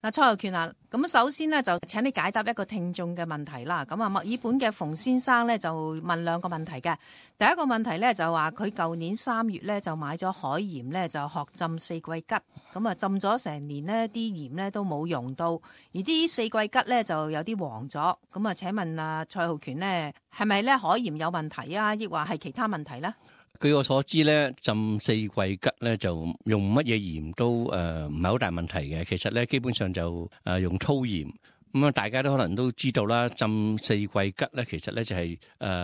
嗱，蔡浩權啊，咁首先呢，就請你解答一個聽眾嘅問題啦。咁啊，墨爾本嘅馮先生呢，就問兩個問題嘅。第一個問題呢，就話佢舊年3月呢，就買咗海鹽呢，就學浸四季桔，咁啊浸咗成年呢啲鹽呢都冇溶到，而啲四季桔呢，就有啲黃咗。咁啊，請問啊蔡浩權呢，係咪呢海鹽有問題啊，抑或係其他問題呢？據我所知咧，浸四季桔咧就用乜嘢鹽都唔係好大問題嘅。其實咧基本上就用粗鹽咁啊，大家都可能都知道啦。浸四季桔咧，其實咧就係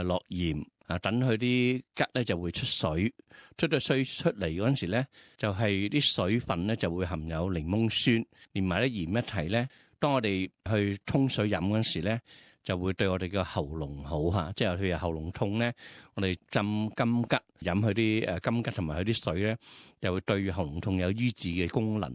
落鹽啊，等佢啲桔咧就會出水，出咗水出嚟嗰陣時咧，就係啲水分咧就會含有檸檬酸，連埋啲鹽一齊咧，當我哋去沖水飲嗰陣時咧，就會對我哋嘅喉嚨好嚇，即係譬如喉嚨痛咧，我哋浸金桔飲佢啲金桔同埋佢啲水咧，就會對喉嚨痛有醫治嘅功能。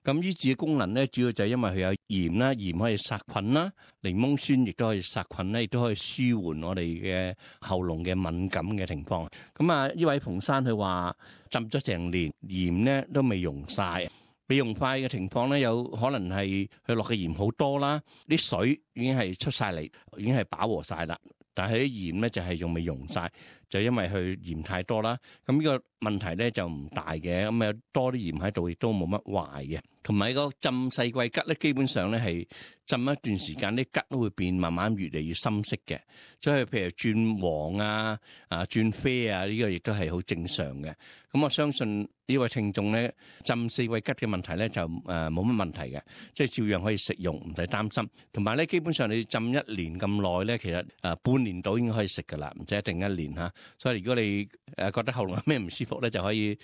咁醫治嘅功能咧，主要就係因為佢有鹽啦，鹽可以殺菌啦，檸檬酸亦都可以殺菌咧，亦都可以舒緩我哋嘅喉嚨嘅敏感嘅情況。咁啊，呢位馮生佢話浸咗成年，鹽咧都未溶晒。未溶快嘅情況咧，有可能係佢落嘅鹽好多啦，啲水已經係出晒嚟，已經係飽和晒啦。但係啲鹽咧就係仲未溶晒，就因為佢鹽太多啦。咁呢個問題咧就唔大嘅，咁有多啲鹽喺度亦都冇乜壞嘅。同埋個浸四季桔咧，基本上咧係浸一段時間，啲桔都會變，慢慢越嚟越深色嘅。所以譬如轉黃啊、轉啡啊，呢個亦都係好正常嘅。咁我相信呢位聽眾咧浸四季桔嘅問題咧就冇乜問題嘅，即係照樣可以食用，唔使擔心。同埋咧，基本上你浸1年咁耐咧，其實半年到已經可以食噶啦，唔使一定1年嚇。所以如果你覺得喉嚨有咩唔舒服咧，就可以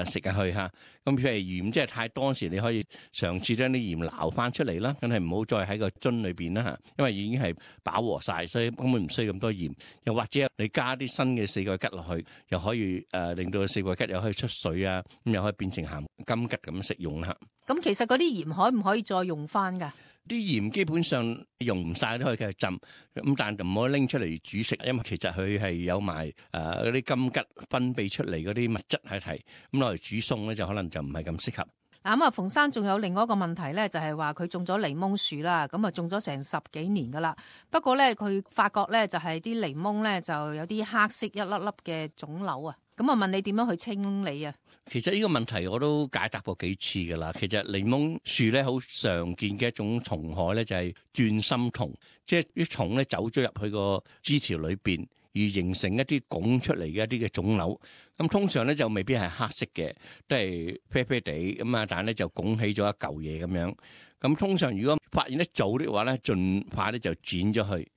食下去嚇。咁譬如鹽即係太多時，你可以嘗試將啲鹽撈翻出嚟啦，梗係唔好再喺個樽裏邊啦嚇，因為已經係飽和晒，所以根本唔需要咁多鹽。又或者你加啲新嘅四季桔落去，又可以令到四季桔又可以出水啊，咁又可以變成鹹金桔咁食用啦。咁其實嗰啲鹽可唔可以再用翻㗎？啲鹽基本上用唔晒都可以繼續浸，咁但係唔可以拎出嚟煮食，因為其實佢係有埋嗰啲金桔分泌出嚟嗰啲物質喺係，咁攞嚟煮餸咧就可能就唔係咁適合。嗱咁啊，馮生仲有另外一個問題咧，就係話佢種咗檸檬樹啦，咁啊種咗成10幾年噶啦。不過咧，佢發覺咧就係啲檸檬咧就有啲黑色一粒粒嘅腫瘤啊。咁啊問你點樣去清理啊？其實呢個問題我都解答過幾次噶啦。其實檸檬樹咧好常見嘅一種蟲害咧就係鑽心蟲，即係啲蟲咧走咗入去個枝條裏邊，而形成一啲拱出嚟嘅一啲嘅腫瘤。咁通常咧就未必係黑色嘅，都係啡啡地咁啊，但係咧就拱起咗一嚿嘢咁樣。咁通常如果發現得早的話咧，盡快咧就剪咗去。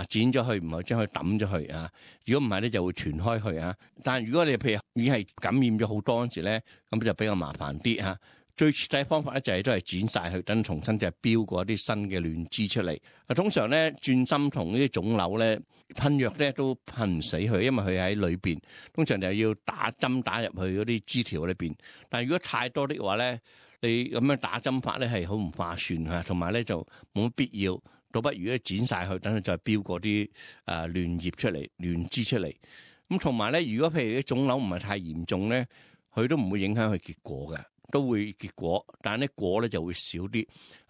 剪咗去，唔係將佢抌咗去啊！如果唔係咧，就會傳開去啊！但係如果你譬如已經係感染咗好多嗰陣時咧，咁就比較麻煩啲嚇。最徹底方法咧就係都係剪晒佢，等重新就係標過一啲新嘅嫩枝出嚟。通常咧鑽心蟲呢啲腫瘤咧噴藥咧都噴唔死佢，因為佢喺裏邊。通常就要打針打入去嗰啲枝條裏邊。但係如果太多的話咧，你咁樣打針法咧係好唔划算嚇，同埋咧就冇乜必要。倒不如咧剪晒佢，等佢再標過啲嫩葉出嚟、嫩枝出嚟。咁同埋咧，如果譬如啲腫瘤唔係太嚴重咧，佢都唔會影響佢結果嘅，都會結果，但係啲果咧就會少啲。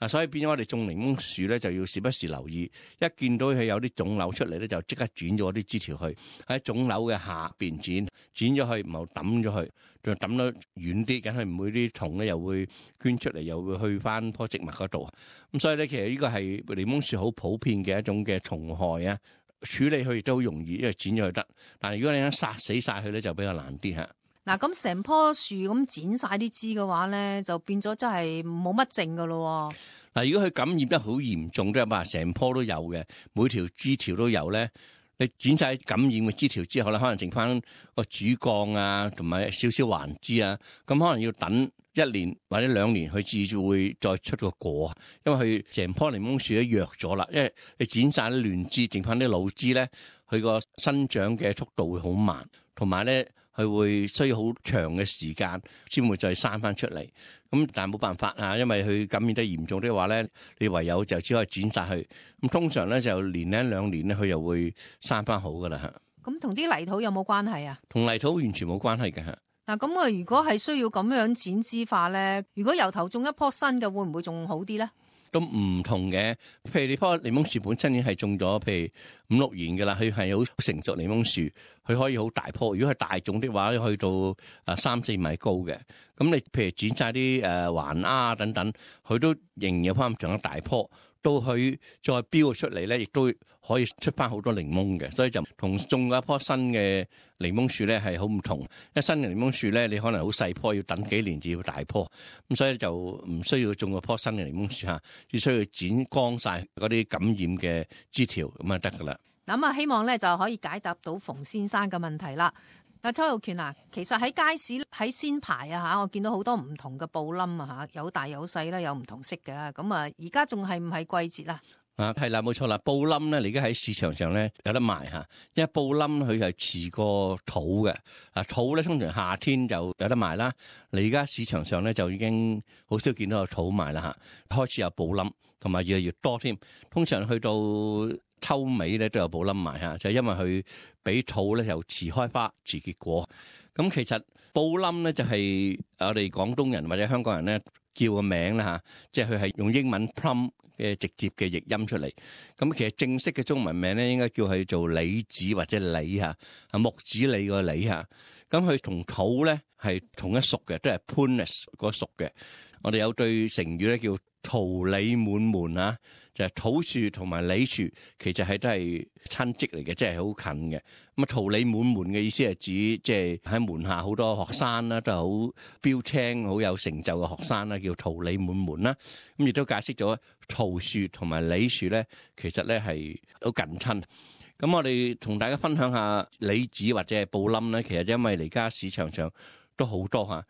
所以變咗我哋種檸檬樹咧，就要時不時留意，一見到佢有啲腫瘤出嚟咧，就即刻剪咗啲枝條去，喺腫瘤嘅下邊剪咗去，唔好抌咗去，仲抌得遠啲，梗係唔會啲蟲咧又會捐出嚟，又會去翻棵植物嗰度。咁所以咧，其實呢個係檸檬樹好普遍嘅一種嘅蟲害啊，處理佢亦都好容易，因為剪咗佢得。但係如果你殺死晒佢咧，就比較難啲嚇。嗱，咁成棵樹咁剪晒啲枝嘅話咧，就變咗真係冇乜剩噶咯。嗱，如果佢感染得好嚴重，都係話成棵都有嘅，每條枝條都有咧。你剪晒感染嘅枝條之後咧，可能剩翻個主幹啊，同埋少少環枝啊，咁可能要等1年或者2年，佢至會再出個果，因為佢成棵檸檬樹都弱咗啦。因為你剪晒啲嫩枝，剩翻啲老枝咧，佢個生長嘅速度會好慢，同埋咧佢會需要好長嘅時間先會再生翻出嚟。咁但係冇辦法啊，因為佢感染得嚴重的話咧，你唯有就只可以剪晒佢。咁通常咧就1年2年咧，佢又會生翻好噶啦嚇。咁同啲泥土有冇關係啊？同泥土完全冇關係嘅嚇。嗱，咁啊，如果係需要咁樣剪枝化咧，如果由頭種一棵新嘅，會唔會仲好啲咧？都唔同嘅，譬如你棵檸檬樹本身已經係種咗，譬如5-6年嘅啦，佢係好成熟檸檬樹，佢可以好大棵。如果係大種的話，去到3-4米高嘅。咁你譬如剪晒啲環丫等等，佢都仍然有翻咁長得大棵。到佢再標出嚟咧，亦都可以出翻好多檸檬嘅，所以就同種一棵新嘅檸檬樹咧係好唔同。一新嘅檸檬樹咧，你可能好細棵，要等幾年至要大棵，咁所以就唔需要種嗰棵新嘅檸檬樹嚇，只需要剪光晒嗰啲感染嘅枝條咁就得噶啦。咁啊，希望咧就可以解答到馮先生嘅問題啦。嗱，蔡浩權啊，其實喺街市喺鮮牌啊嚇，我見到好多唔同嘅布冧啊嚇，有大有細啦，有唔同色嘅。咁啊，而家仲係唔係季節啊？係啦，冇錯啦，布冧咧，你而家喺市場上咧有得賣嚇，因為布冧佢係遲過土嘅。土咧通常夏天就有得賣啦。你而家市場上咧就已經好少見到有土賣啦嚇，開始有布冧，同埋越嚟越多添。通常去到秋尾咧都有布冧賣嚇，就係因為佢比土咧又遲開花遲結果。咁其實布冧咧就係我哋廣東人或者香港人咧叫個名啦嚇，即係佢係用英文 plum 嘅直接嘅譯音出嚟。咁其實正式嘅中文名咧應該叫佢做李子或者李嚇，木子李個李嚇。咁佢同土咧係同一屬嘅，都係 Prunus 嗰屬嘅。我哋有對成語咧叫桃李滿門啊，就係土樹同埋李樹其實係都係親戚嚟嘅，即係好近嘅。咁啊，桃李滿門嘅意思係指即係喺門下好多學生啦，都係好標青、好有成就嘅學生啦，叫桃李滿門啦。咁亦都解釋咗桃樹同埋李樹咧，其實咧係好近親。咁我哋同大家分享下李子或者係布冧咧，其實因為而家市場上都好多嚇。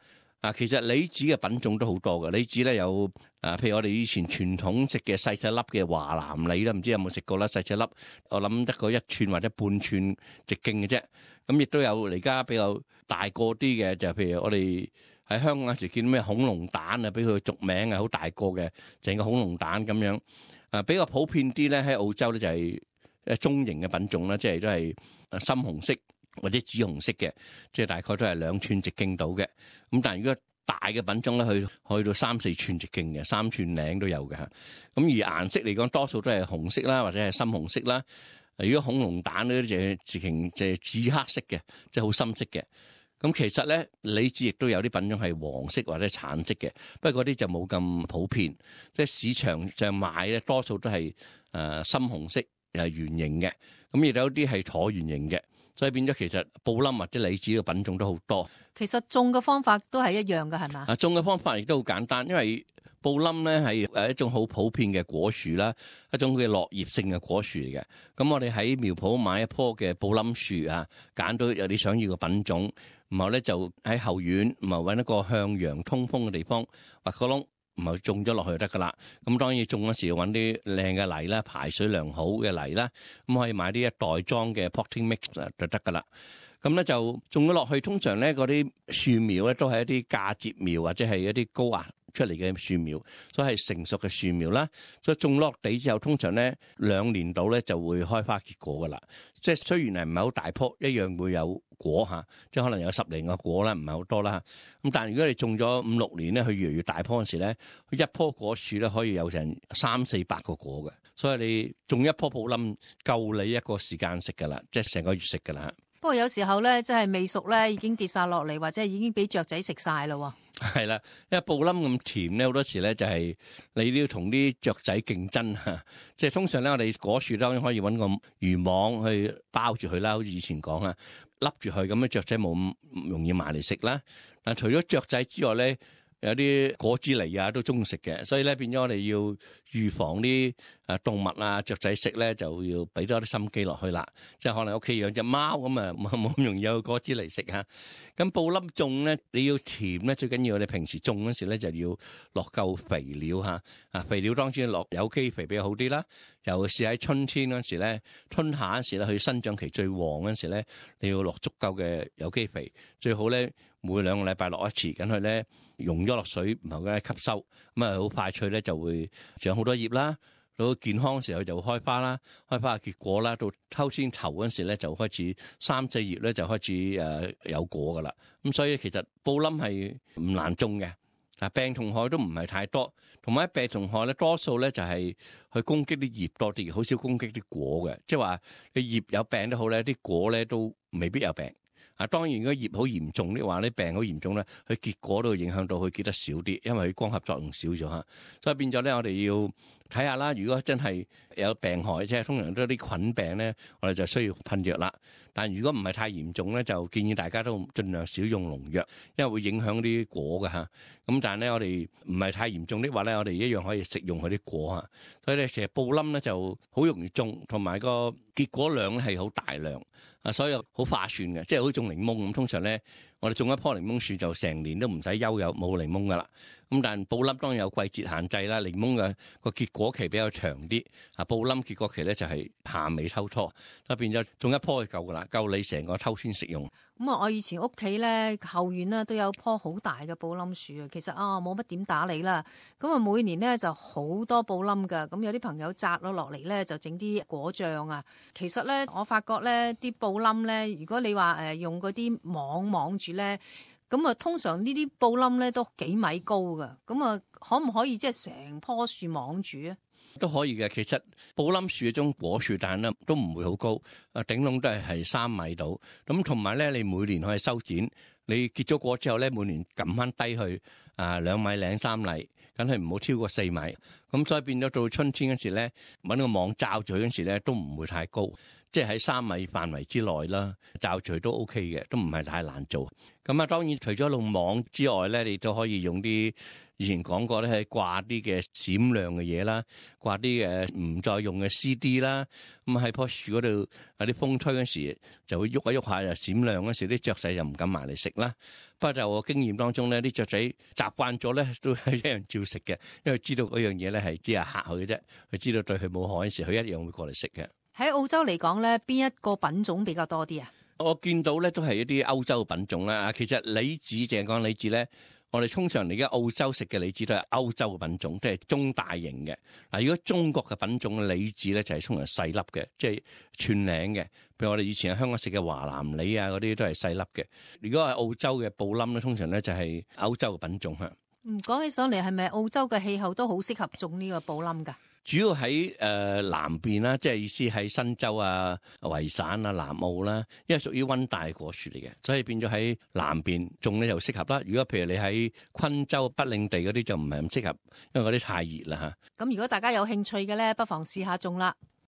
其實李子嘅品種都好多嘅。李子咧有譬如我哋以前傳統食嘅細細粒嘅華南李啦，唔知有冇食過啦？細細粒，我諗得個1寸或者半寸直徑嘅啫。咁亦都有而家比較大個啲嘅，就譬如我哋喺香港有時見到咩恐龍蛋啊，俾佢俗名啊，好大個嘅，成個恐龍蛋咁樣。比較普遍啲咧喺澳洲咧就係中型嘅品種啦，即係都係深紅色或者紫紅色嘅，即係大概都係2寸直徑到嘅。咁但係如果大嘅品種咧，去到3-4寸直徑嘅，3寸零都有嘅嚇。咁而顏色嚟講，多數都係紅色啦，或者係深紅色啦。如果恐龍蛋嗰啲就係直情就係紫黑色嘅，即係好深色嘅。咁其實咧，李子亦都有啲品種係黃色或者橙色嘅，不過嗰啲就冇咁普遍。即係市場上買咧，多數都係深紅色，又係圓形嘅。咁亦有啲係橢圓形嘅。所以變咗其實布冧或者李子嘅品種都好多。其實種嘅方法都係一樣嘅，係嘛？種嘅方法亦都好簡單，因為布冧咧係一種好普遍嘅果樹啦，一種嘅落葉性嘅果樹嚟嘅。咁我哋喺苗圃買一棵嘅布冧樹啊，揀到有你想要嘅品種，然後咧就喺後院，然後揾一個向陽通風嘅地方挖個窿，然後種咗落去就得噶啦。咁當然種嗰時要揾啲靚嘅泥啦，排水良好嘅泥啦，咁可以買啲一袋裝嘅 potting mix 就得噶啦。咁咧就種咗落去，通常咧嗰啲樹苗咧都係一啲嫁接苗或者係一啲高壓出嚟嘅樹苗，所以係成熟嘅樹苗啦。所以種落地之後，通常咧2年度咧就會開花結果噶啦。即係雖然係唔係好大棵，一樣會有果嚇，即係可能有10零個果啦，唔係好多啦。咁但係如果你種咗5-6年咧，佢越嚟越大棵嗰時咧，佢一棵果樹咧可以有成300-400個果嘅。所以你種一棵布冧夠你一個時間食噶啦，即係成個月食噶啦。不過有時候咧，真係未熟咧，已經跌晒落嚟，或者已經俾雀仔食晒咯。係啦，因為布冧咁甜咧，好多時咧就係你都要同啲雀仔競爭嚇。即係通常咧，我哋果樹當然可以揾個漁網去包住佢啦，好似以前講啊，笠住佢咁樣，雀仔冇咁容易埋嚟食啦。但除咗雀仔之外咧，有啲果子狸啊都中意食嘅，所以咧變咗我哋要預防啲動物啊雀仔食咧，就要俾多啲心機落去啦。即係可能屋企養隻貓咁啊，冇咁容易有果子狸食嚇。咁布冧種咧，你要甜咧，最緊要你平時種嗰時咧就要落夠肥料嚇。肥料當然落有機肥比較好啲啦。尤其是喺春天嗰時咧，春夏嗰時咧，佢生長期最旺嗰時咧，你要落足夠嘅有機肥，最好咧每2個禮拜落一次，咁佢咧溶咗落水，然後咧吸收，咁啊好快脆咧就會長好多葉啦。到健康嘅時候就會開花啦，開花嘅結果啦，到秋天頭嗰時咧就開始3-4月咧就開始有果噶啦。咁所以其實布冧係唔難種嘅，病蟲害都唔係太多，同埋病蟲害咧多數咧就係去攻擊啲葉多啲，好少攻擊啲果嘅。即係話你葉有病都好咧，啲果咧都未必有病。當然如果葉好嚴重的話咧，病好嚴重咧，佢結果都會影響到佢結得少啲，因為佢光合作用少咗嚇。所以變咗咧，我哋要睇下啦。如果真係有病害，即係通常都係啲菌病咧，我哋就需要噴藥啦。但如果唔係太嚴重咧，就建議大家都盡量少用農藥，因為會影響啲果嘅嚇。咁但係咧，我哋唔係太嚴重的話咧，我哋一樣可以食用佢啲果嚇。所以咧，其實布冧咧就好容易種，同埋個結果量咧係好大量。所以好化算嘅，即係好似種檸檬咁。通常咧，我哋種一棵檸檬樹就成年都唔使憂有冇檸檬噶啦。咁但係布冧當然有季節限制啦。檸檬嘅個結果期比較長啲，布冧結果期咧就係夏尾秋初，就變咗種一棵就夠噶啦，夠你成個秋天食用。咁啊，我以前屋企咧後院咧都有棵好大嘅布冧樹啊。其實冇乜點打理啦。咁啊，每年咧就好多布冧噶。咁有啲朋友摘咗落嚟咧，就整啲果醬啊。其實咧，我發覺咧啲布冧咧，如果你話用嗰啲網住咧，咁啊通常呢啲布冧咧都幾米高噶。咁啊，可唔可以即係成棵樹網住啊？都可以嘅。其實布冧樹嗰種果樹，但係咧都唔會好高，頂籠都係3米到。咁同埋咧，你每年可以修剪，你結咗果之後咧，每年撳翻低去2米零3米，梗係唔好超過4米。咁所以變咗到春天嗰時咧，搵個網罩住佢嗰時咧，都唔會太高，即係喺3米範圍之內啦，罩住都 OK 嘅，都唔係太難做。咁啊，當然除咗用網之外咧，你都可以用啲以前講過咧，係掛啲嘅閃亮嘅嘢啦，掛啲唔再用嘅 CD 啦。咁喺棵樹嗰度有啲風吹嗰時就會喐一喐下，就閃亮嗰時啲雀仔就唔敢埋嚟食啦。不過就我經驗當中咧，啲雀仔習慣咗咧，都係一樣照食嘅，因為知道嗰樣嘢咧係只係嚇佢嘅啫，佢知道對佢冇害嗰時，佢一樣會過嚟食嘅。喺澳洲嚟講咧，邊一個品種比較多啲啊？我見到咧都係一啲歐洲品種啦。其實李子淨係講李子咧，我哋通常而家澳洲食嘅李子都係歐洲嘅品種，即係中大型嘅。如果中國嘅品種李子咧就係通常細粒嘅，即係寸領嘅。譬如我哋以前喺香港食嘅華南李啊嗰啲都係細粒嘅。如果係澳洲嘅布冧咧，通常咧就係歐洲嘅品種嚇。講起上嚟係咪澳洲嘅氣候都好適合種呢個布冧㗎？主要喺南邊啦，即係意思喺新州啊、維省啊、南澳啦，因為屬於溫帶果樹嚟嘅，所以變咗喺南邊種咧就適合啦。如果譬如你喺昆州、北領地嗰啲就唔係咁適合，因為嗰啲太熱啦嚇。咁如果大家有興趣嘅咧，不妨試下種啦。